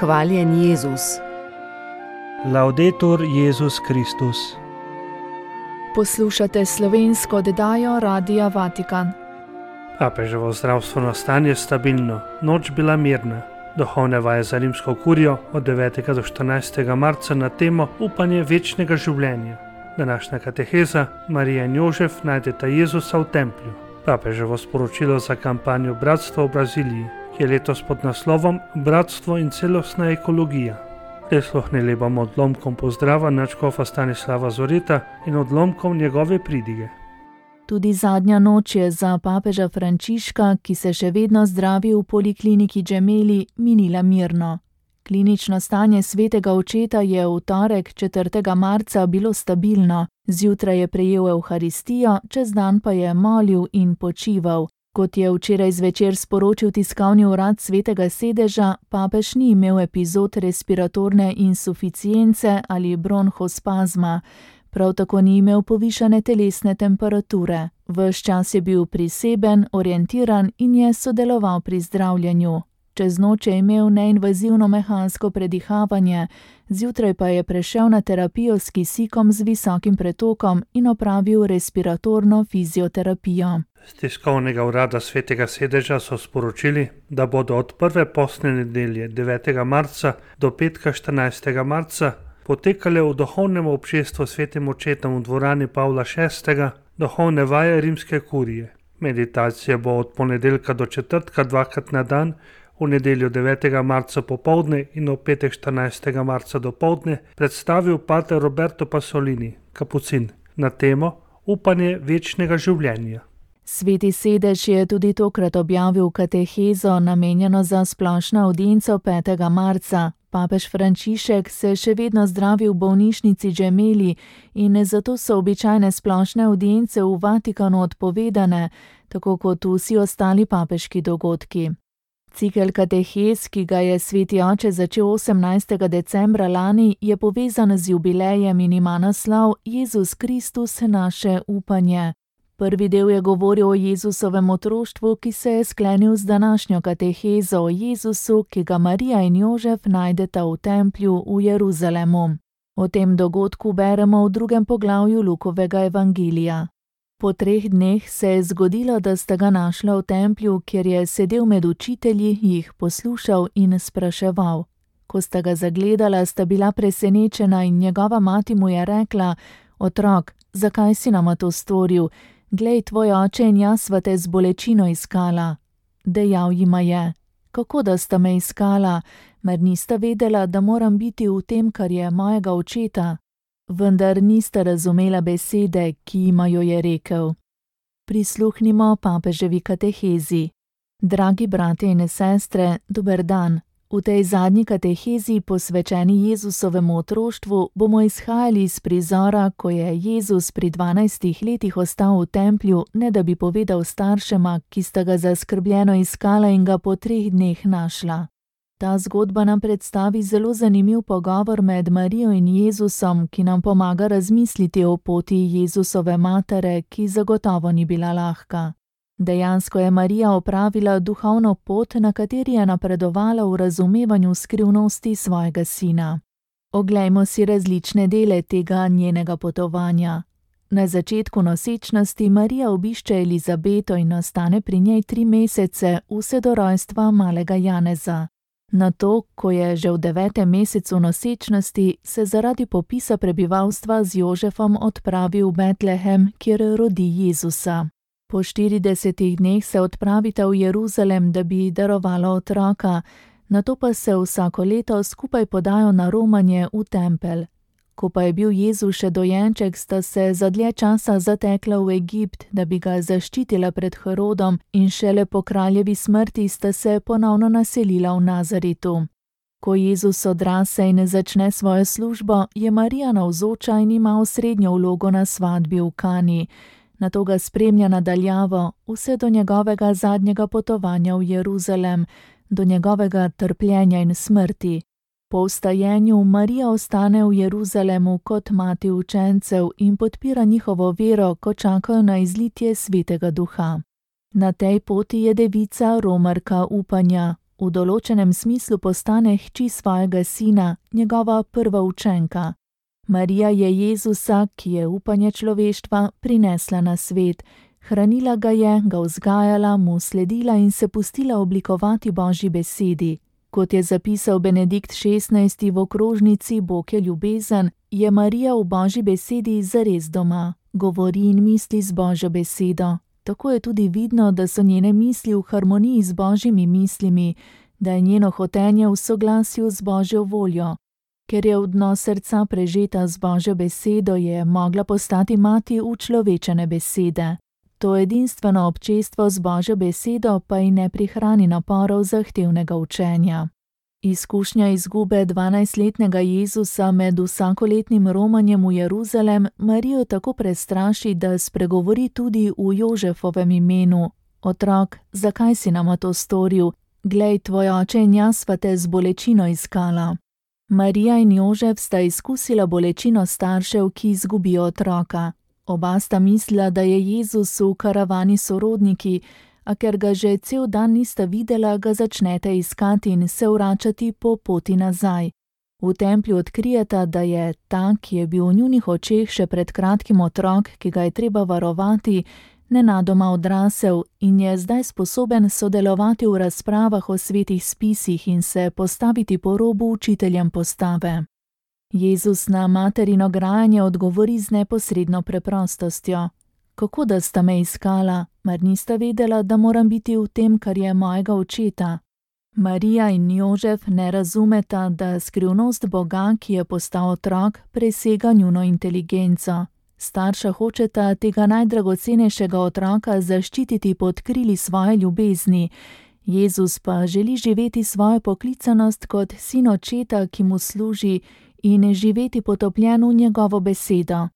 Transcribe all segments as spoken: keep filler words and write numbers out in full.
Hvaljen Jezus. Laudetur Jezus Kristus. Poslušate slovensko oddajo Radia Vatikan. Papeževo zdravstveno stanje stabilno, noč bila mirna. Duhovne vaje za rimsko kurijo od devetega do štirinajstega marca na temo upanje večnega življenja. Današnja kateheza Marija in Jožef najdeta Jezusa v templju. Papeževo sporočilo za kampanjo Bratstva v Braziliji, ki je letos pod naslovom Bratstvo in celostna ekologija. Prisluhnili bomo odlomkom pozdrava nadškofa Stanislava Zoreta in odlomkom njegove pridige. Tudi zadnja noč je za papeža Frančiška, ki se še vedno zdravi v polikliniki Gemelli, minila mirno. Klinično stanje svetega očeta je v torek, četrtega marca, bilo stabilno. Zjutraj je prejel evharistijo, čez dan pa je molil in počival. Kot je včeraj zvečer sporočil tiskovni urad Svetega sedeža, papež ni imel epizod respiratorne insuficience ali bronhospazma. Prav tako ni imel povišane telesne temperature. Ves čas je bil priseben, orientiran in je sodeloval pri zdravljenju. Čez noč je imel neinvazivno mehansko predihavanje, zjutraj pa je prešel na terapijo s kisikom z visokim pretokom in opravil respiratorno fizioterapijo. Z tiskovnega urada Svetega sedeža so sporočili, da bodo od prve postne nedelje devetega marca do petka štirinajstega marca potekale v duhovnem občestvu svetim očetom v dvorani Pavla šestega duhovne vaje rimske kurije. Meditacija bo od ponedeljka do četrtka dvakrat na dan, v nedeljo devetega marca popoldne in v petek štirinajstega marca dopoldne predstavil pater Roberto Pasolini, kapucin, na temo upanje večnega življenja. Sveti sedež je tudi tokrat objavil katehezo, namenjeno za splošno avdienco petega marca. Papež Frančišek se še vedno zdravi v bolnišnici Gemelli in zato so običajne splošne avdience v Vatikanu odpovedane, tako kot vsi ostali papeški dogodki. Cikel katehez, ki ga je sveti oče začel osemnajstega decembra lani, je povezan z jubilejem in ima naslov Jezus Kristus, naše upanje. Prvi del je govoril o Jezusovem otroštvu, ki se je sklenil z današnjo katehezo o Jezusu, ki ga Marija in Jožef najdeta v templju v Jeruzalemu. O tem dogodku beremo v drugem poglavju Lukovega evangelija. Po treh dneh se je zgodilo, da sta ga našla v templju, kjer je sedel med učitelji, jih poslušal in spraševal. Ko sta ga zagledala, sta bila presenečena in njegova mati mu je rekla: Otrok, zakaj si nama to storil? Glej, tvoj oče in jaz sva te z bolečino iskala. Dejal jima je: Kako da sta me iskala, mer nista vedela, da moram biti v tem, kar je mojega očeta? Vendar nista razumela besede, ki jima jo je rekel. Prisluhnimo papeževi katehezi. Dragi bratje in sestre, dober dan. V tej zadnji katehezi, posvečeni Jezusovemu otroštvu, bomo izhajali iz prizora, ko je Jezus pri dvanajstih letih ostal v templju, ne da bi povedal staršema, ki sta ga zaskrbljeno iskala in ga po treh dneh našla. Ta zgodba nam predstavi zelo zanimiv pogovor med Marijo in Jezusom, ki nam pomaga razmisliti o poti Jezusove matere, ki zagotovo ni bila lahka. Dejansko je Marija opravila duhovno pot, na kateri je napredovala v razumevanju skrivnosti svojega sina. Oglejmo si različne dele tega njenega potovanja. Na začetku nosečnosti Marija obišče Elizabeto in ostane pri njej tri mesece, vse do rojstva malega Janeza. Nato, ko je že v devetem mesecu nosečnosti, se zaradi popisa prebivalstva z Jožefom odpravi v Betlehem, kjer rodi Jezusa. Po štiridesetih dneh se odpravita v Jeruzalem, da bi darovala otroka, nato pa se vsako leto skupaj podajo na romanje v tempelj. Ko pa je bil Jezus še dojenček, sta se za dlje časa zatekla v Egipt, da bi ga zaščitila pred Herodom, in šele po kraljevi smrti sta se ponovno naselila v Nazaretu. Ko Jezus odrase in začne svojo službo, je Marija navzoča in ima osrednjo vlogo na svatbi v Kani. Nato ga spremlja nadaljavo, vse do njegovega zadnjega potovanja v Jeruzalem, do njegovega trpljenja in smrti. Po vstajenju Marija ostane v Jeruzalemu kot mati učencev in podpira njihovo vero, ko čakajo na izlitje Svetega Duha. Na tej poti je devica romarka upanja. V v določenem smislu postane hči svojega sina, njegova prva učenka. Marija je Jezusa, ki je upanje človeštva, prinesla na svet. Hranila ga je, ga vzgajala, mu sledila in se pustila oblikovati Božji besedi. Kot je zapisal Benedikt šestnajsti v okrožnici Bog je ljubezen, je Marija v Božji besedi zares doma. Govori in misli z Božjo besedo. Tako je tudi vidno, da so njene misli v harmoniji z Božjimi mislimi, da je njeno hotenje v soglasju z Božjo voljo. Ker je v dno srca prežeta z Božjo besedo, je mogla postati mati učlovečene besede. To edinstveno občestvo z Božjo besedo pa ji ne prihrani naporov zahtevnega učenja. Izkušnja izgube dvanajstletnega Jezusa med vsakoletnim romanjem v Jeruzalem Marijo tako prestraši, da spregovori tudi v Jožefovem imenu. Otrok, zakaj si nama to storil? Glej, tvoj oče in jaz sva te z bolečino iskala. Marija in Jožef sta izkusila bolečino staršev, ki izgubijo otroka. Oba sta mislila, da je Jezus v karavani sorodniki, a ker ga že cel dan nista videla, ga začnete iskati in se vračati po poti nazaj. V templju odkrijeta, da je ta, ki je bil v njunih očeh še pred kratkim otrok, ki ga je treba varovati, nenadoma odrasel in je zdaj sposoben sodelovati v razpravah o svetih spisih in se postaviti po robu učiteljem postave. Jezus na materino grajanje odgovori z neposredno preprostostjo. Kako da sta me iskala, mar nista vedela, da moram biti v tem, kar je mojega očeta? Marija in Jožef ne razumeta, da skrivnost Boga, ki je postal otrok, presega njuno inteligenco. Starša hočeta tega najdragocenejšega otroka zaščititi pod krili svoje ljubezni. Jezus pa želi živeti svojo poklicanost kot sin očeta, ki mu služi, in živeti potopljen v njegovo besedo.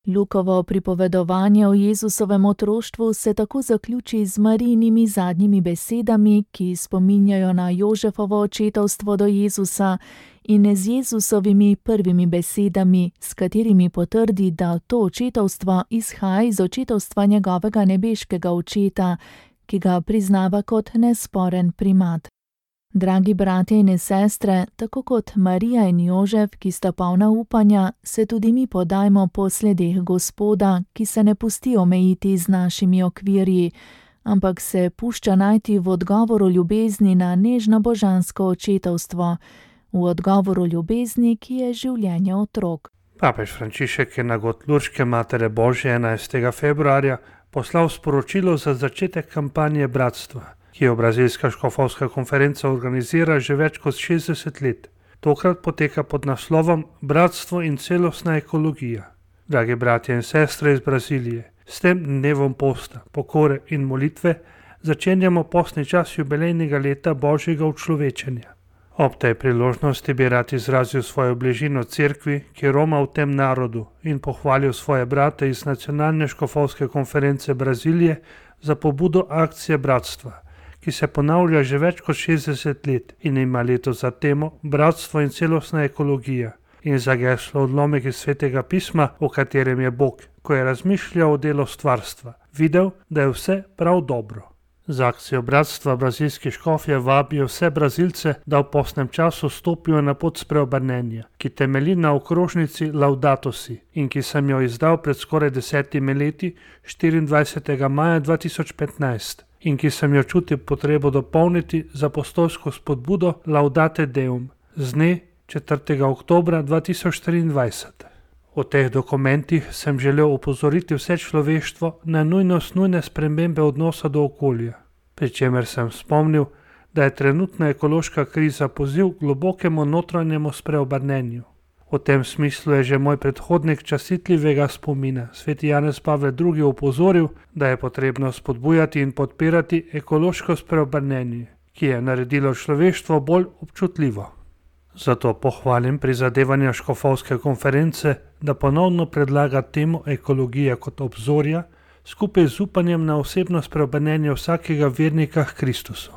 Lukovo pripovedovanje o Jezusovem otroštvu se tako zaključi z Marijinimi zadnjimi besedami, ki spominjajo na Jožefovo očetovstvo do Jezusa, in z Jezusovimi prvimi besedami, s katerimi potrdi, da to očetovstvo izhaja iz očetovstva njegovega nebeškega očeta, ki ga priznava kot nesporen primat. Dragi bratje in sestre, tako kot Marija in Jožef, ki sta polna upanja, se tudi mi podajmo po sledeh Gospoda, ki se ne pusti omejiti z našimi okvirji, ampak se pušča najti v odgovoru ljubezni na nežno božansko očetovstvo, v odgovoru ljubezni, ki je življenje otrok. Papež Frančišek je na Gotluške Matere Božje enajstega februarja poslal sporočilo za začetek kampanje Bratstva, ki jo Brazilska škofovska konferenca organizira že več kot šestdeset let. Tokrat poteka pod naslovom Bratstvo in celostna ekologija. Dragi bratje in sestre iz Brazilije, s tem dnevom posta, pokore in molitve začenjamo postni čas jubilejnega leta Božjega učlovečenja. Ob tej priložnosti bi rad izrazil svojo bližino cerkvi, ki roma v tem narodu, in pohvalil svoje brate iz Nacionalne škofovske konference Brazilije za pobudo akcije Bratstva, ki se ponavlja že več kot šestdeset let in ima letos za temo Bratstvo in celostna ekologija in za geslo odlomek iz Svetega pisma, v katerem je Bog, ko je razmišljal o delu stvarstva, videl, da je vse prav dobro. Z akcijo Bratstva brazilski škofje vabijo vse Brazilce, da v postnem času stopijo na pot spreobrnenja, ki temelji na okrožnici Laudato si in ki sem jo izdal pred skoraj desetimi leti, štiriindvajsetega maja dva tisoč petnajst, in ki sem jo čutil potrebo dopolniti z apostolsko spodbudo Laudate Deum z dne četrtega oktobra dva tisoč triindvajset. V teh dokumentih sem želel opozoriti vse človeštvo na nujnost nujne spremembe odnosa do okolja, pri čemer sem spomnil, da je trenutna ekološka kriza poziv k globokemu notranjemu spreobrnenju. V tem smislu je že moj predhodnik častitljivega spomina, sveti Janez Pavel drugi, opozoril, da je potrebno spodbujati in podpirati ekološko spreobrnenje, ki je naredilo človeštvo bolj občutljivo. Zato pohvalim prizadevanja škofovske konference, da ponovno predlaga temo ekologije kot obzorja, skupaj z upanjem na osebno spreobrnenje vsakega vernika k Kristusu.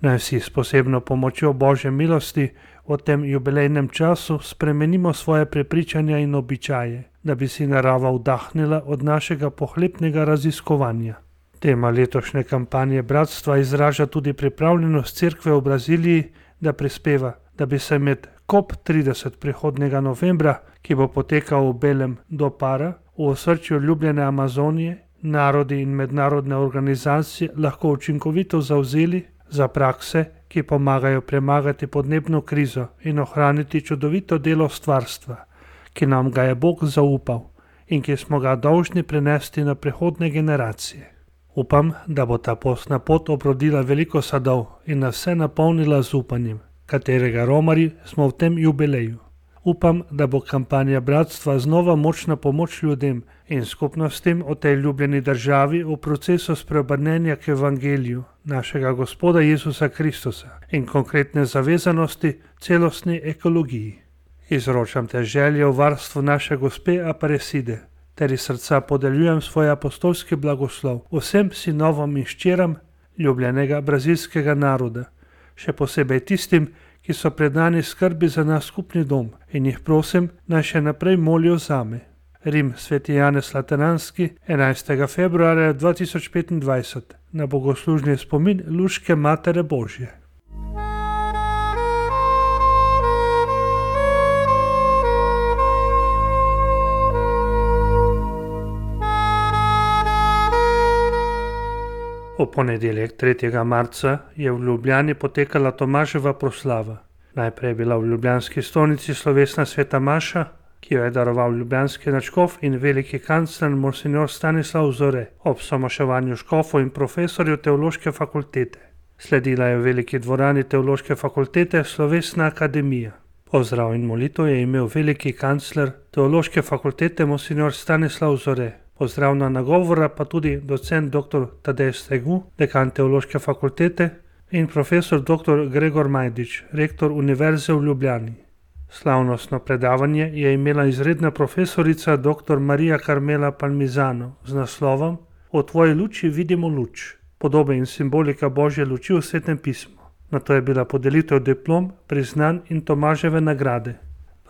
Naj vsi s posebno pomočjo Božje milosti v tem jubilejnem času spremenimo svoje prepričanja in običaje, da bi si narava vdahnila od našega pohlepnega raziskovanja. Tema letošnje kampanje bratstva izraža tudi pripravljenost cerkve v Braziliji, da prispeva, da bi se med COP trideset prihodnjega novembra, ki bo potekal v Belem do Para, v osrčju ljubljene Amazonije, narodi in mednarodne organizacije lahko učinkovito zavzeli za prakse, ki pomagajo premagati podnebno krizo in ohraniti čudovito delo stvarstva, ki nam ga je Bog zaupal in ki smo ga dolžni prenesti na prihodnje generacije. Upam, da bo ta postna pot obrodila veliko sadov in nas vse napolnila z upanjem, katerega romari smo v tem jubileju. Upam, da bo kampanja bratstva znova močna pomoč ljudem in skupnostim v tej ljubljeni državi v procesu spreobrnenja k evangeliju našega Gospoda Jezusa Kristusa in konkretne zavezanosti celostni ekologiji. Izročam te želje v varstvu naše gospe Aparecide, ter iz srca podeljujem svoj apostolski blagoslov vsem sinovom in hčeram ljubljenega brazilskega naroda, še posebej tistim, ki so predani skrbi za naš skupni dom in jih prosim, naj še naprej molijo zame. Rim, Sveti Janez Lateranski, enajstega februarja dva tisoč petindvajset, na bogoslužni spomin Luške Matere Božje. V ponedeljek tretjega marca je v Ljubljani potekala Tomaževa proslava. Najprej je bila v ljubljanski stolnici slovesna sveta maša, ki jo je daroval ljubljanski nadškof in veliki kancler monsignor Stanislav Zore ob somaševanju škofov in profesorjev teološke fakultete. Sledila je v veliki dvorani teološke fakultete slovesna akademija. Pozdrav in molitev je imel veliki kancler teološke fakultete monsignor Stanislav Zore. Pozdravna nagovora pa tudi docent dr. Tadej Stregu, dekan teološke fakultete, in profesor dr. Gregor Majdič, rektor Univerze v Ljubljani. Slavnostno predavanje je imela izredna profesorica dr. Marija Carmela Palmisano z naslovom O tvoji luči vidimo luč, podobe in simbolika Božje luči v Svetem pismu. Nato je bila podelitev diplom, priznanj in Tomaževe nagrade.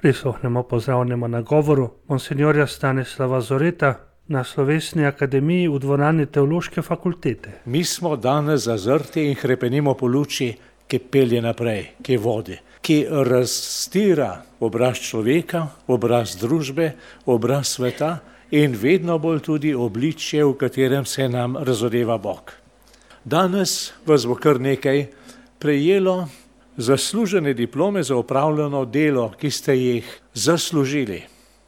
Prisluhnemo pozdravnemu nagovoru monsignorja Stanislava Zoreta na slovesni akademiji v dvorani teološke fakultete. Mi smo danes zazrti in hrepenimo po luči, ki pelje naprej, ki vodi, ki razstira obraz človeka, obraz družbe, obraz sveta in vedno bolj tudi obličje, v katerem se nam razodeva Bog. Danes vas bo kar nekaj prejelo zaslužene diplome za opravljeno delo, ki ste jih zaslužili.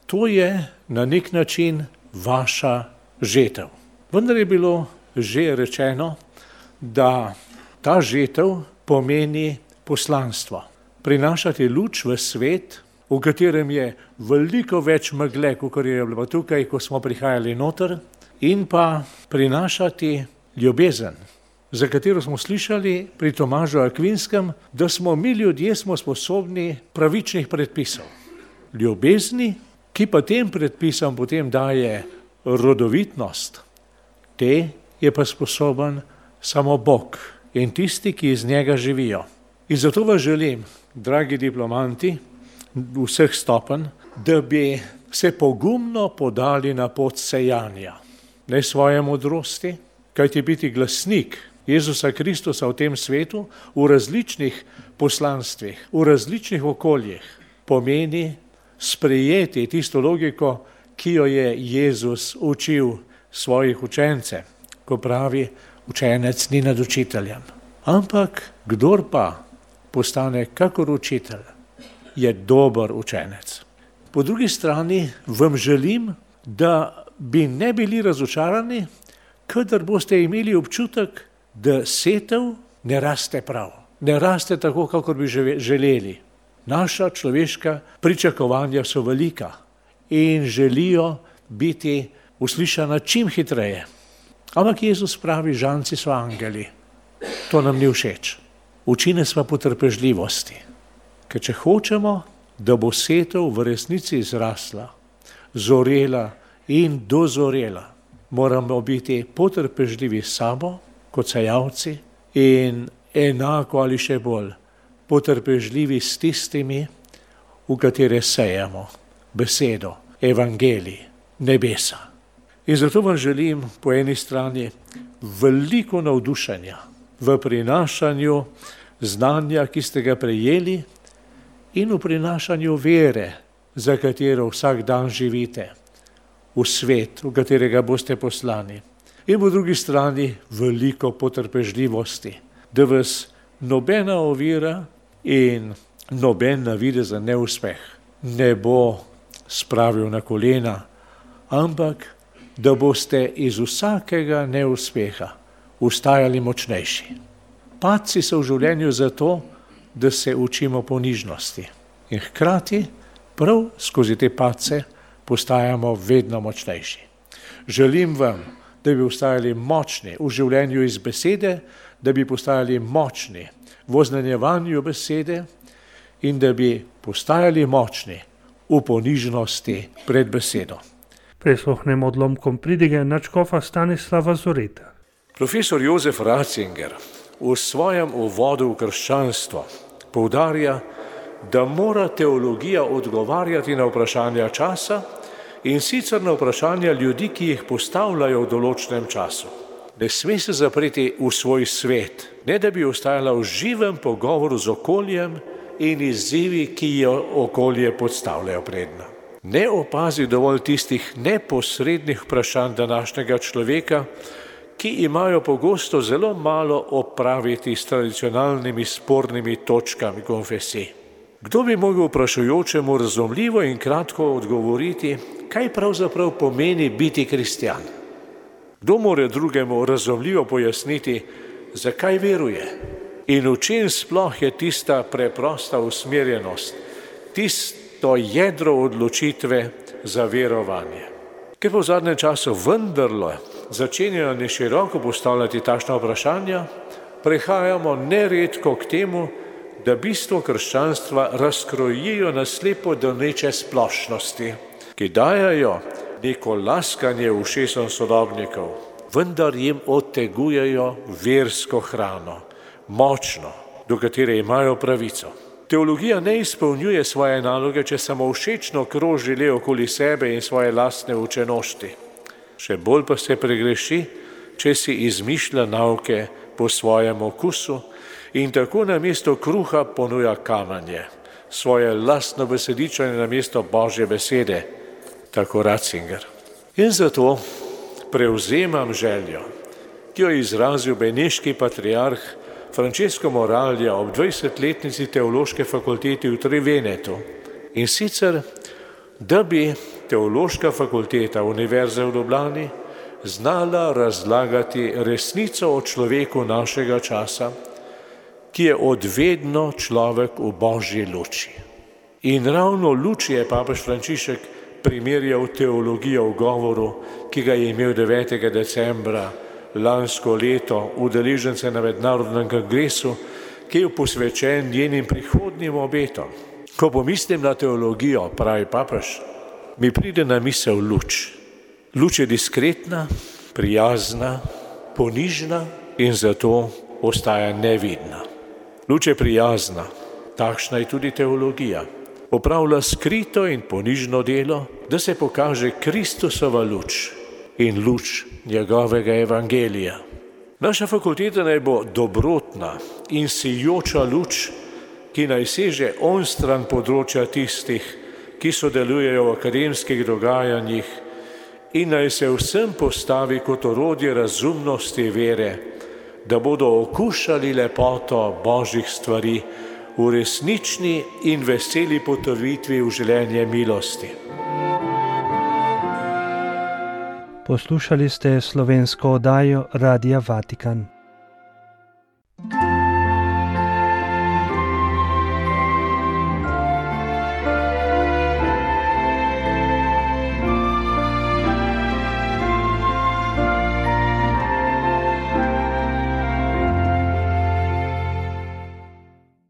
To je na nek način vaša žetev. Vendar je bilo že rečeno, da ta žetev pomeni poslanstvo. Prinašati luč v svet, v katerem je veliko več megle, kot je bilo tukaj, ko smo prihajali noter, in pa prinašati ljubezen, za katero smo slišali pri Tomažu Akvinskem, da smo mi ljudje smo sposobni pravičnih predpisov. Ljubezni, ki pa tem predpisom potem daje rodovitnost, te je pa sposoben samo Bog in tisti, ki iz njega živijo. In zato vas želim, dragi diplomanti vseh stopenj, da bi se pogumno podali na pot sejanja. Ne svoje modrosti, kajti biti glasnik Jezusa Kristusa v tem svetu, v različnih poslanstvih, v različnih okoljih, pomeni sprejeti tisto logiko, ki jo je Jezus učil svojih učence, ko pravi, učenec ni nad učiteljem. Ampak kdor pa postane kakor učitelj, je dober učenec. Po drugi strani vam želim, da bi ne bili razočarani, kadar boste imeli občutek, da setev ne raste prav, ne raste tako, kakor bi želeli. Naša človeška pričakovanja so velika in želijo biti uslišana čim hitreje. Ampak Jezus pravi, žanci so angeli. To nam ni všeč. Uči nas pa potrpežljivosti. Ker če hočemo, da bo setev v resnici zrasla, zorela in dozorela, moramo biti potrpežljivi s sabo, kot sejalci, in enako ali še bolj potrpežljivi s tistimi, v katere sejemo besedo, evangelij, nebesa. In zato vam želim po eni strani, veliko navdušenja v prinašanju znanja, ki ste ga prejeli, in v prinašanju vere, za katero vsak dan živite, v svet, v katerega boste poslani. In po drugi strani veliko potrpežljivosti, da vas nobena ovira in noben navidezen neuspeh ne bo spravil na kolena, ampak da boste iz vsakega neuspeha vstajali močnejši. Padci so v življenju zato, da se učimo ponižnosti. In hkrati prav skozi te padce postajamo vedno močnejši. Želim vam, da bi postajali močni v življenju iz besede, da bi postajali močni v oznanjevanju besede in da bi postajali močni v ponižnosti pred besedo. Prisluhnemo odlomkom pridige nadškofa Stanislava Zoreta. Profesor Jozef Ratzinger v svojem uvodu v krščanstvo poudarja, da mora teologija odgovarjati na vprašanja časa in sicer na vprašanja ljudi, ki jih postavljajo v določenem času. Ne sme se zapreti v svoj svet, ne da bi ostajala v živem pogovoru z okoljem in izzivi, ki jo okolje podstavljajo predna. Ne opazi dovolj tistih neposrednih vprašanj današnjega človeka, ki imajo pogosto zelo malo opraviti s tradicionalnimi spornimi točkami konfesij. Kdo bi mogel vprašujočemu razumljivo in kratko odgovoriti, kaj pravzaprav pomeni biti kristjan? Kdo more drugemu razumljivo pojasniti, zakaj veruje in v čem sploh je tista preprosta usmerjenost, tisto jedro odločitve za verovanje? Ker pa v zadnjem času vendarlo začenjajo neširoko postavljati takšna vprašanja, prehajamo neredko k temu, da bistvo krščanstva razkrojijo na slepo doneče splošnosti, ki dajajo neko laskanje ušesom sodobnikov, vendar jim odtegujejo versko hrano, močno, do katere imajo pravico. Teologija ne izpolnjuje svoje naloge, če samo všečno kroži le okoli sebe in svoje lastne učenošti. Še bolj pa se pregreši, če si izmišlja nauke po svojem okusu in tako namesto kruha ponuja kamanje, svoje lastno besedičenje namesto Božje besede, tako Ratzinger. In zato prevzemam željo, ki jo je izrazil beneški patriarh Francesco Moralja ob dvajsetletnici teološke fakultete v Trivenetu. In sicer, da bi teološka fakulteta Univerze v Ljubljani znala razlagati resnico o človeku našega časa, ki je odvedno človek v Božji luči. In ravno luči je papež Frančišek primerjal teologijo v govoru, ki ga je imel devetega decembra lansko leto udeležence na mednarodnem kongresu, ki je posvečen njenim prihodnjim obetom. Ko pomislim na teologijo, pravi papež, mi pride na misel luč. Luč je diskretna, prijazna, ponižna in zato ostaja nevidna. Luč je prijazna, takšna je tudi teologija. Opravlja skrito in ponižno delo, da se pokaže Kristusova luč in luč njegovega evangelija. Naša fakulteta naj bo dobrotna in sijoča luč, ki naj seže onstran področja tistih, ki sodelujejo v akademskih dogajanjih in naj se vsem postavi kot orodje razumnosti vere, da bodo okušali lepoto Božjih stvari v resnični in veseli potrditvi v življenje milosti. Poslušali ste slovensko oddajo Radia Vatikan.